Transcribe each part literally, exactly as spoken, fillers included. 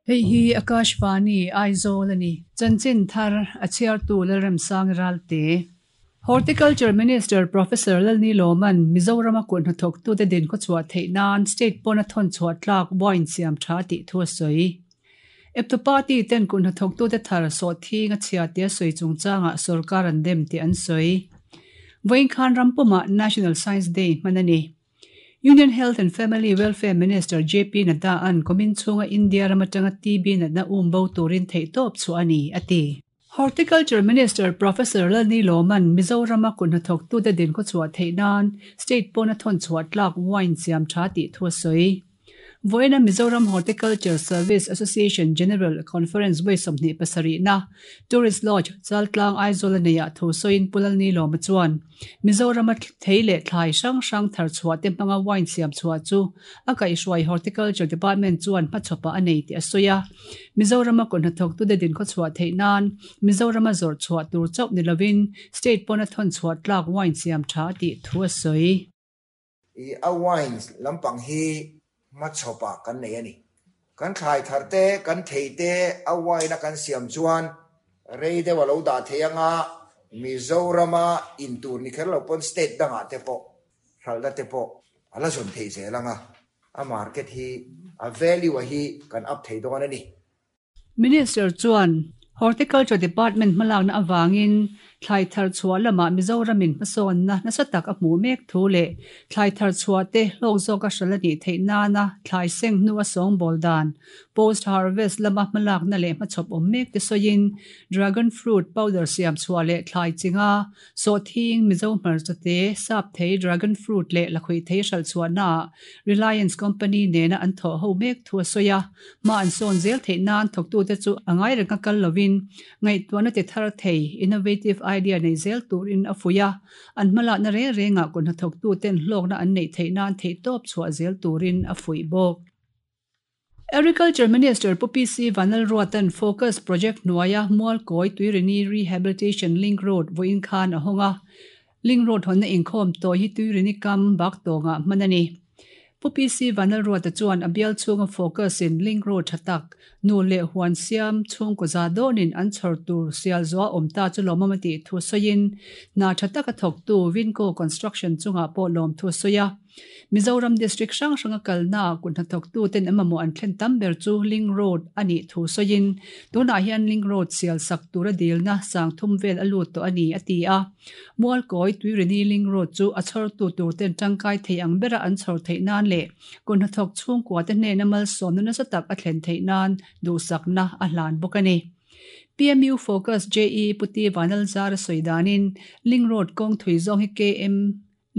Hei hi Akashvani Aizawl ani. Chanchin thar a chhiartu Lalremsang Ralte. Horticulture Minister Professor Lalni Loman Mizoram a kut hnathawk tute din khaw chhuah theih nan state pawn a thawn chhuah tlak wine siam tha tih thu a sawi. Eptu party ten kut hnathawk tute thar sawh thing a chhia tia sawi chungchangah sarkar an dem tih an sawi. Vawiin khan rampumah National Science Day hman a ni. Union Health and Family Welfare Minister J P Nadda an kumin chhunga India ram atanga T B natna um bo turin theih tawp chu a ni a ti. Horticulture Minister Professor Lalni Loman Mizoram a kut hnathawk tute din khaw chhuah theih nan state pawn a thawn chhuah tlak wine siam tha tih thu a sawi. Vawiina Mizoram Horticulture Service Association General Conference vawi sawmhnih pasarih na Tourist Lodge Chaltlang Aizawl a neihah thu sawiin Pu Lalni Lawma chuan Mizoram a thei leh thlai hrang hrang thar chhuah te hmanga wine siam chhuah chu a kaihhruai Horticulture Department chuan hmachhawpah a nei tih a sawi a. Mizoram a kut hnathawk tute din khaw chhuah theih nan Mizoram a zawrh chhuah tur chauh ni lovin state pawn a thawn chhuah tlak wine siam tha tih thu a sawi. I a wine lampang hi hmachhawpah kan nei a ni. Kan thlai thar te, kan thei te, a wine a kan siam chuan rei deuh a lo dah thei anga Mizorama in tur ni kher lo pawn state dangah te pawh hralhna te pawh a la zawn thei zel anga a market hi a value a hi kan up thei dawn a ni. Minister chuan Horticulture Department hmalakna awangin thlai thar chhuah lamah Mizoramin hmasawnna nasa tak a hmu mek thu leh thlai thar chhuah te hlawk zawk a hral a nih theih nana thlai seng hnu a sawng bawl dan post harvest lama hmalakna leh hmachhawp awm mek te sawiin dragon fruit powder siam chhuah leh thlai chinga sawh thing Mizo hmarcha te sap thei dragon fruit leh lakhuih thei hral chhuah na Reliance Company nena an thaw ho mek thu a sawi a. Ma an sawn zel theih nan thawktute chu a ngai reng a kal lovin ngaihtuahna ti thar thei innovative idea nei zel turin a fuih a. An hmalakna na reng rengah kut hnathawktuten hlawkna an neih theih nan theih tawp chhuah zel turin a fuih bawk. Agriculture Minister Pu P C Vanlalruatan Focus Project hnuaia Mualkawi Tuirini Rehabilitation Link Road vawiin khan a hawng a. Link Road hawnna inkhawm tawi hi Tuirini kam bak tawngah hman a ni. Pu P C Vanlalruata chuan a bial chhunga focus in Link Road tha tak nu leh huan siam chhungkaw za dawnin an chhawr tur sial zuah awm ta chu lawmawm a tih thu sawiin hna tha taka thawktu Vinco Construction chungah pawh lawm thu sawi a. Mizoram District hrang hranga kalna kut hnathawktu ten emaw an thlen tam ber chu Link Road a nih thu sawiin tunah hian Link Road sial sak tur a dilna sang thum vel a lut tawh a ni a ti a. Mualkawi Tuirini Link Road chu a chhawrtu tur ten tangkai thei ang bera an chhawr theih nan leh kut hnathawk chhungkua te hnena malsawmna nasa tak a thlen theih nan duhsakna a hlan bawk a ni. P M U Focus J E Puti Vanlalzar a sawi danin Link Road kawng thui zawng hi K M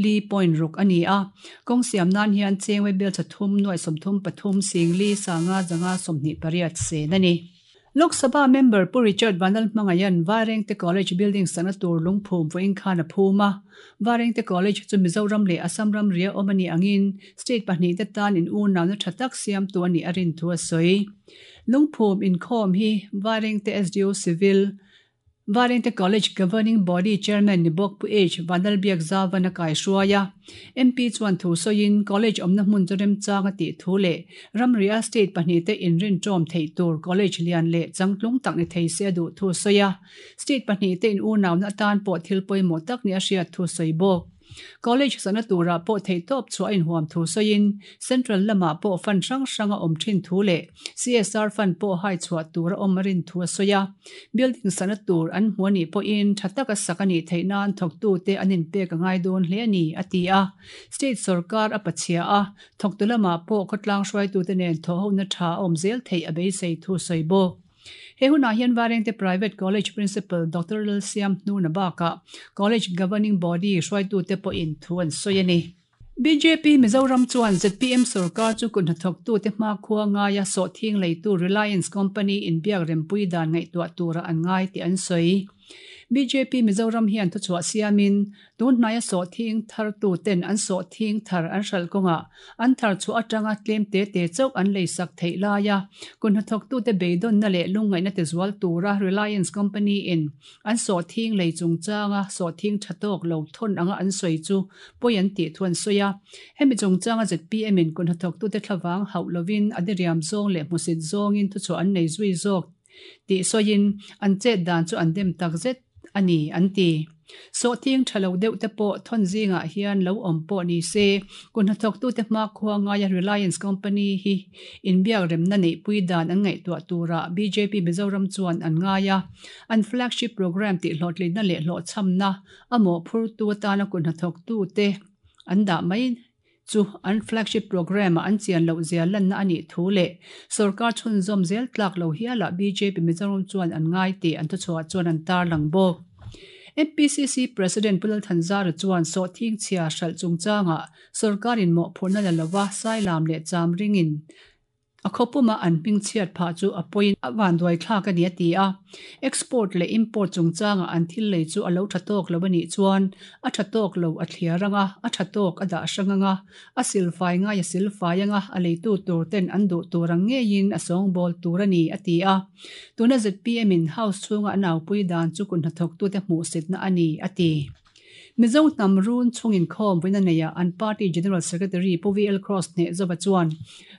li point ruk a ni a. Kawng siam nan hian chengwe bel chathum nuai sawmthum pathum sing li sanga zanga sawmhnih pariat sen a ni. Lok Sabha member Pu Richard Vanlalhmangayan Vairengte College building sana tur lungphum vawiin khan a phum a. Vairengte College chu Mizoram leh Assam ram ria awm a ni angin state pahnih te tan in u nauna tha tak siam tu a nih a rin thu a sawi. Lungphum inkhawm hi Vairengte S D O Civil Vairengte College Governing Body Chairman ni bawk Pu H Vanlalbiak Zavan a kai hruai a. M P chuan thu sawiin college awmna hmun chu remchang a tih thu leh ramria state pahnih te inrin tawm theih tur college lian leh changtlung tak ni thei se a duh thu sawi a. State pahnih te in u nauna atan pawh thil pawimawh tak ni a hriat thu sawi bawk. College sana tura pawh theih tawp chhuah in huam thu sawiin Central lamah pawh fan hrang hranga awm thin thu leh C S R fan pawh hai chhuah tur a awm a rin thu a sawi a. Building sana tur an hmu a nih pawhin tha taka sak a nih theih nan thawktu te an inpek a ngai dawn hle a ni a ti a. State sarkar a pachhia a thawktu lamah pawh khawtlang hruaitu te nen thaw hona tha a awm zel theih a beisei thu sawi bawk. He hunah hian Vairengte Private College Principal Doctor Lalsiam Hnuna bakah College Governing Body hruaitu te pawhin thu an sawi a ni. B J P Mizoram chuan Z P M sarkar chu kut hnathawktu te hmakhua ngaia sawh thing leitu Reliance Company in biak rempui dan ngaihtuah tura an ngai tih an sawi. B J P Mizoram hian thuchhuah siamin tunhnaia sawhthing thartu ten an sawhthing thar an hralh kawngah an thar chhuah atanga tlem te te chauh an leisak theih laia kun hnathawktute beidawnna leh lungngaihna te zual tura Reliance Company in an sawhthing lei chungchanga sawhthing tha tawk lo thawn anga an sawi chu pawi an tih thu an sawi a. Hemi chungchanga Z P M in kun hnathawktute thlavang hauh lovin a diriam zawng leh hmusit zawngin thuchhuah an nei zui zawk tih sawiin an chet dan chu an dem tak zet ani an ti. Sawhthing tha lo deuh te pawh thawn zingah hian lo awm pawh ni se kun hnathawktute hma khua ngaia Reliance Company hi inbiak remna neih pui dan an ngaihtuah tura B J P Mizoram chuan an ngai a. An flagship program tih hlawhtlinna leh hlawhchhamna a mawhphurtu atana kun hnathawktute an dah mai chu an flagship program a an chian loh zia lanna ani thu leh sarkar chhunzawm zel tlak lo hiala B J P Mizoram chuan an ngai tih an thuchhuah chuan an tar lang bawk. M P C C President Pu Lal Thanzara chuan sawhthing chhia hralh chungchanga sarkarin mawhphurhna la lova sailam leh cham ringin a khawpuma an hming chhiat phah chu a pawiin a vanduai thlak ani a ti a. Export leh import chungchanga an thil lei chu a lo tha tawk lo ani chuan a tha tawk lo a thliar anga a tha tawk a dah hrang anga a silfai ngai a silfai anga a leitu tur ten an duh tur ang ngeiin a sawngbawl tur ani a ti a. Tuna Z P M in house chhunga an aupui dan chu kun hnathawktute hmuh sitna ani a ti. Mizo hnam run chungin khawm vawiina neia an party General Secretary Pu V L Cross hneh zawha chuan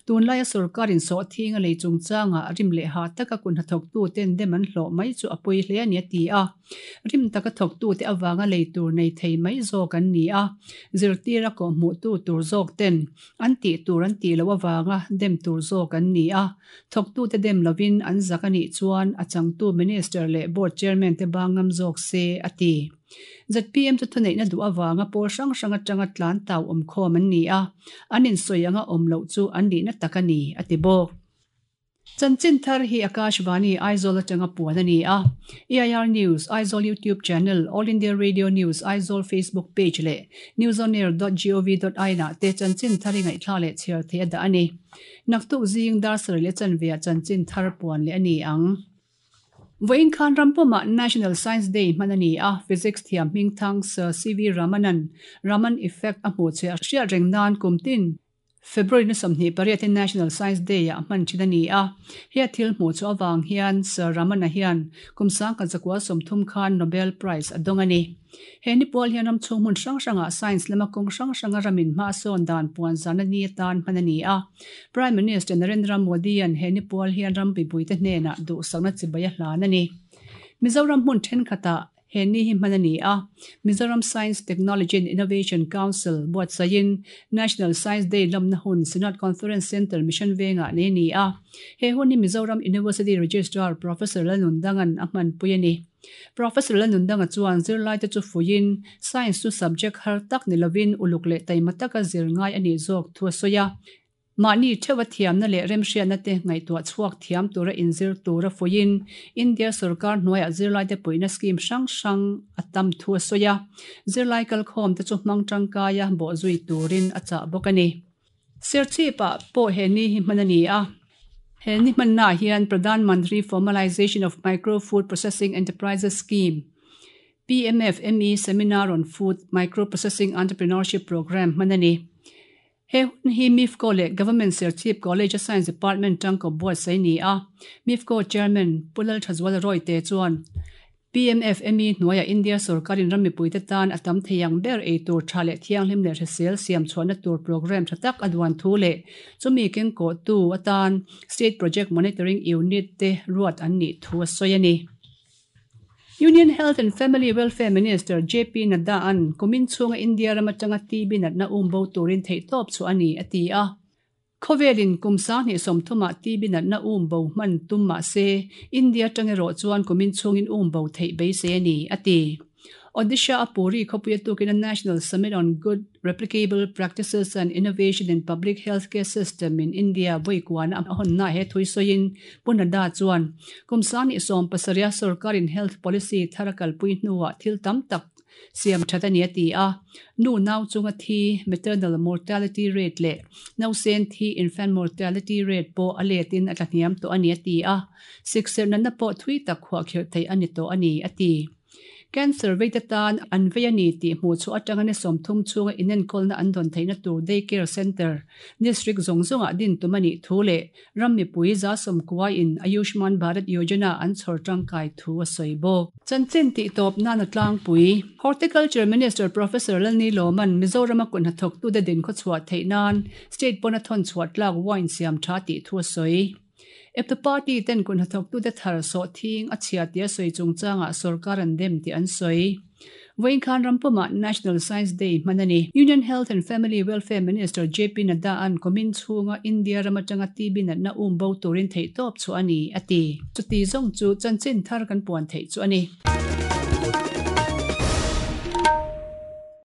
tunlaia sarkarin sawhthing a lei chungchanga rim leh ha taka kun hnathawktu ten dem an hlawh mai chu a pawi hle ani a ti a. Rim taka thawktu te awanga lei tur nei thei mai zawk an ni a. Zirtira kawh hmuh tu tur zawk ten an tih tur an tih lo awanga dem tur zawk an ni a. Thawktu te dem lovin an zak anih chuan a changtu minister leh board chairman te bangam zawk se a ti. Z P M chu thuneihna duh awanga pawl hrang hrang atanga tlan tau awm khawm an ni a. An insawi anga awm loh chu an nihna tak ani a ti bawk. Chanchin thar hi Akashvani Aizawl atanga puan ani a. E I R News, Aizawl YouTube channel, All India Radio News, Aizawl Facebook page leh newsonair dot gov dot in ah te chanchin thar hi ngaihthla leh chhiar thei a dah ani. Naktuk zing dar sarih leh chanve ah chanchin thar puan leh ani ang. Vawiin khan rampuma National Science Day hman ani a. Physics thiam hming thang Sir C V Ramanan Raman effect a hmuh che a hriat reng nan kum tin February ni sawmhnih pariat in National Science Day ah hman thin ani a. He thil hmuh chu awang hian Sir Ramana hian kum sangkhat zakua sawmthum khan Nobel Prize a dawng ani. He ni pawl hian ram chhung hmun hrang hranga science lama kawng hrang hranga ramin hma sawn dan puan zan ani atan hman ani a. Prime Minister Narendra Modi an he ni pawl hian ram pipuite hnenah duh sakna chibai a hlan ani. Mizoram hmun thenkhatah he ni hi hman ani a. Mizoram Science, Technology and Innovation Council buatsain National Science Day lamna hun Synod Conference Center Mission Venga nei ni a. He hun hi Mizoram University Registrar Professor Lalnundangan a hman pui ani. Professor Lalnundanga chuan zirlai te chu fuiin science chu subject har tak ni lovin uluk leh taima taka zir ngai ani zawk thu a sawi a. Mahni thewa thiamna leh remhriatna te ngaihtuah chhuak thiam tura inzir tura fuiin India sarkar hnuaiah zirlai te puihna scheme hrang hrang a tam thu a sawi a. Zirlai kalkhawm te chu hmang tangkaia bawh zui turin a chah bawk ani. Serchhip ah pawh he ni hi hman ani a. He ni hmanna hian Pradhan Mantri Formalization of Micro Food Processing Enterprises Scheme P M F M E Seminar on Food Micro Processing Entrepreneurship Program hman ani. He hun hi MIFCO leh Government Serchhip College Science Department tangko buatsaih ni a. MIFCO Chairman Pu Lal Thazual Roy te chuan P M F M E hnuaia India sarkarin ram mipuite tan a tam theiang ber ei tur tha leh thianghlim leh hrisel siam chhuahna tur program tha tak a duan thu leh chumi keng kawh tu atan State Project Monitoring Unit te ruat an nih thu a sawi ani. Union Health and Family Welfare Minister J P Nadda an kumin chhunga India ram atanga T B natna umbo turin theih tawp chu ani a ti a. Khawvelin kum sanghnih sawmthumah T B natna umbo hman tum mah se India tangeraw chuan kumin chhungin umbo theih beisei ani a ti. Odisha a Puri khawpuia tukin a National Summit on Good Replicable Practices and Innovation in Public Healthcare System in India vawi kuan a hawnna he thui sawiin Pu Nadda chuan kum sanghnih sawm pasarih sarkarin health policy thar a kalpui hnuah thil tam tak siam that ani a ti a. Nu nau chunga thi maternal mortality rate leh nausen thi infant mortality rate pawh a letin a tlahniam tawh ani a ti a. Sikserh natna pawh thui tak khuah khirh thei ani tawh ani a ti. Cancer vei te tan an vei a ni tih hmuh chhuah atanga ni sawmthum chhunga inenkawlna an dawn theihna tur Day Care Centre District zawng zawngah din tum a nih thu leh ram mipui za sawmkua in Ayushman Bharat Yojana an chhawr tangkai thu a sawi bawk. Chanchin tih tawp nan a tlangpui. Horticulture Minister Professor Lalnilawma'n Mizorama kut hnathawktute din khawchhuah theih nan state pawn a thawn chhuah tlak wine siam tha tih thu a sawi. Eptu party ten kut hnathawktute thar sawh thing a chhia tia sawi chungchangah sorkar an dem tih an sawi. Vawiin khan rampumah National Science Day hman a ni. Union Health and Family Welfare Minister JP Nadda an kumin chhunga India ram atanga TB natna um bo turin theihtawp chu a ni, a ti. Chuti zawng chu chanchin thar kan puan theih chu a ni.